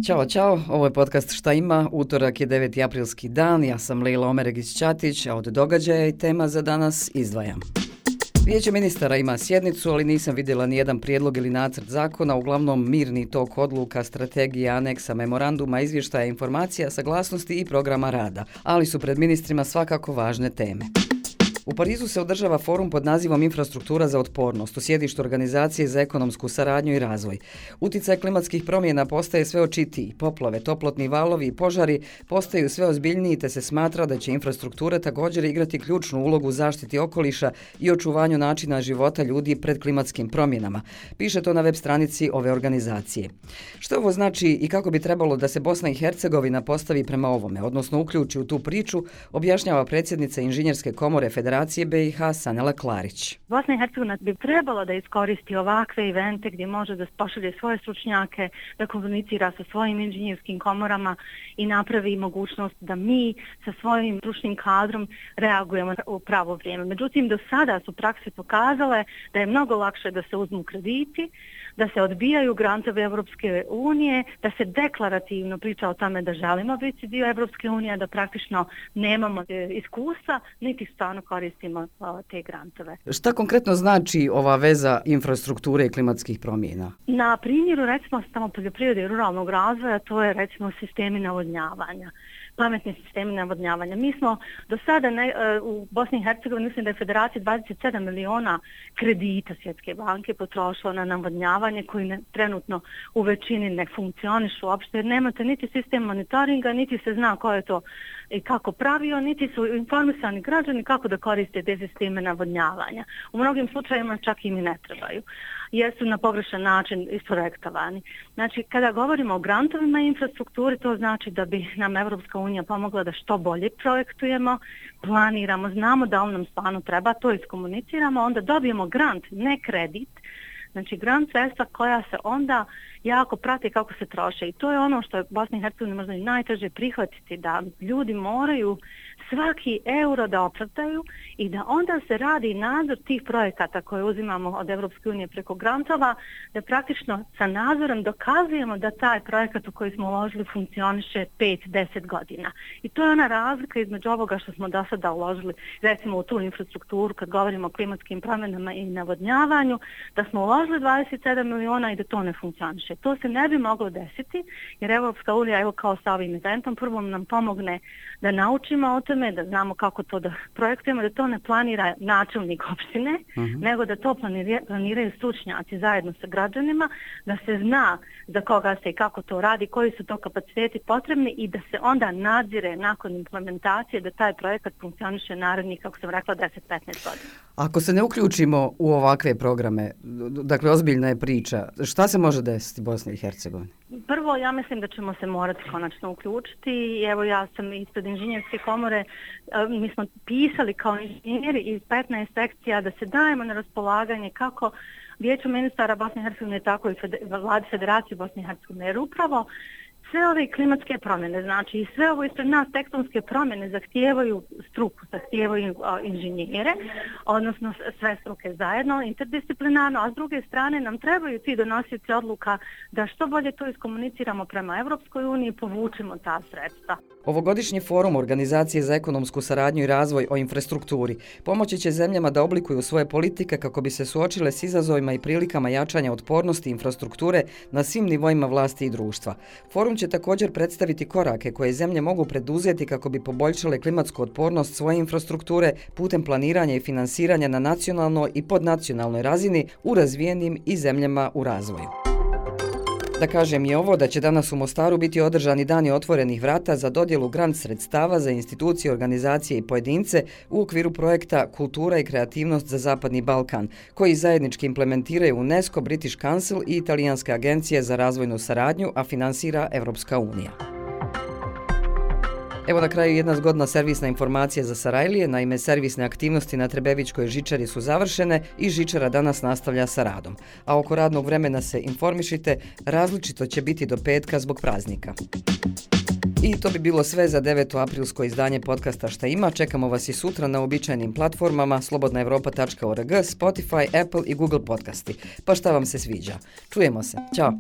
Ćao, ovo je podcast Šta ima, utorak je 9. aprilski dan, ja sam Lejla Omeregić-Ćatić, a od događaja i tema za danas izdvajam. Vijeće ministara ima sjednicu, ali nisam vidjela nijedan prijedlog ili nacrt zakona, uglavnom mirni tok odluka, strategija, aneksa, memoranduma, izvještaja, informacija, saglasnosti i programa rada, ali su pred ministrima svakako važne teme. U Parizu se održava forum pod nazivom Infrastruktura za otpornost u sjedištu Organizacije za ekonomsku saradnju i razvoj. Uticaj klimatskih promjena postaje sve očitiji, poplave, toplotni valovi i požari postaju sve ozbiljniji te se smatra da će infrastruktura također igrati ključnu ulogu u zaštiti okoliša i očuvanju načina života ljudi pred klimatskim promjenama. Piše to na web stranici ove organizacije. Što ovo znači i kako bi trebalo da se Bosna i Hercegovina postavi prema ovome, odnosno uključi u tu priču, objašnjava predsjednica Inženjerske komore Federacije BiH Sanela Klarić. Bosna i Hercegovina bi trebalo da iskoristi ovakve evente gdje može da pošalje svoje stručnjake, da komunicira sa svojim inženjerskim komorama i napravi mogućnost da mi sa svojim stručnim kadrom reagujemo u pravo vrijeme. Međutim, do sada su prakse pokazale da je mnogo lakše da se uzmu krediti, da se odbijaju grantovi Evropske unije, da se deklarativno priča o tome da želimo biti dio Evropske unije, da praktično nemamo iskustva, niti stvarno koristimo te grantove. Šta konkretno znači ova veza infrastrukture i klimatskih promjena? Na primjeru recimo samo poljoprivrede i ruralnog razvoja, to je recimo sistemi navodnjavanja. Pametni sistemi navodnjavanja. Mi smo do sada u Bosni i Hercegovini, mislim da je Federacija 27 miliona kredita Svjetske banke potrošila na navodnjavanje koji trenutno u većini ne funkcionišu uopšte jer nemate niti sistem monitoringa, niti se zna ko je to i kako pravio, niti su informisani građani kako da koriste te sisteme navodnjavanja. U mnogim slučajevima čak im i ne trebaju jer su na pogrešan način isprojektovani. Znači, kada govorimo o grantovima i infrastrukturi, to znači da bi nam Evropska unija pomogla da što bolje projektujemo, planiramo, znamo da on nam stvarno treba, to iskomuniciramo, onda dobijemo grant, ne kredit, znači grant sredstva koja se onda jako prati kako se troše i to je ono što je Bosna i Hercegovina možda i najteže prihvatiti, da ljudi moraju svaki euro da opravdaju i da onda se radi nadzor tih projekata koje uzimamo od Evropske unije preko grantova, da praktično sa nadzorom dokazujemo da taj projekat u koji smo uložili funkcioniše 5-10 godina. I to je ona razlika između ovoga što smo do sada uložili, recimo u tu infrastrukturu kad govorimo o klimatskim promjenama i navodnjavanju, da smo uložili 27 miliona i da to ne funkcioniše. To se ne bi moglo desiti jer Evropska unija, evo kao sa ovim eventom, prvo nam pomogne da naučimo o tome, da znamo kako to da projektujemo, da to ne planira načelnik opštine, nego da to planiraju stručnjaci zajedno sa građanima, da se zna za koga se i kako to radi, koji su to kapaciteti potrebni i da se onda nadzire nakon implementacije da taj projekat funkcioniše narednih, kako sam rekla, 10-15 godina. Ako se ne uključimo u ovakve programe, dakle ozbiljna je priča, šta se može desiti Bosni i Hercegovini? Prvo, ja mislim da ćemo se morati konačno uključiti. Evo, ja sam ispred Inženjerske komore, mi smo pisali kao inženjeri iz 15 sekcija da se dajemo na raspolaganje kako Vijeću ministara Bosne i Hercegovine, tako i Vladi Federacije Bosne i Hercegovine. Jer upravo sve ove klimatske promjene, znači i sve ovo ispred nas tektonske promjene zahtijevaju struku, zahtijevaju inženjere, odnosno sve struke zajedno, interdisciplinarno, a s druge strane nam trebaju ti donosioci odluka da što bolje to iskomuniciramo prema Evropskoj uniji i povučemo ta sredstva. Ovogodišnji forum Organizacije za ekonomsku saradnju i razvoj o infrastrukturi pomoći će zemljama da oblikuju svoje politike kako bi se suočile s izazovima i prilikama jačanja otpornosti infrastrukture na svim nivoima vlasti i društva. Forum će također predstaviti korake koje zemlje mogu preduzeti kako bi poboljšale klimatsku otpornost svoje infrastrukture putem planiranja i finansiranja na nacionalnoj i podnacionalnoj razini u razvijenim i zemljama u razvoju. Da kažem i ovo da će danas u Mostaru biti održani dani otvorenih vrata za dodjelu grant sredstava za institucije, organizacije i pojedince u okviru projekta Kultura i kreativnost za Zapadni Balkan, koji zajednički implementiraju UNESCO, British Council i Italijanska agencija za razvojnu saradnju, a finansira Evropska unija. Evo na kraju jedna zgodna servisna informacija za Sarajlije, naime servisne aktivnosti na Trebevićkoj žičari su završene i žičara danas nastavlja sa radom. A oko radnog vremena se informišite, različito će biti do petka zbog praznika. I to bi bilo sve za 9. aprilsko izdanje podcasta Šta ima. Čekamo vas i sutra na uobičajenim platformama slobodnaevropa.org, Spotify, Apple i Google podcasti. Pa šta vam se sviđa? Čujemo se. Ćao!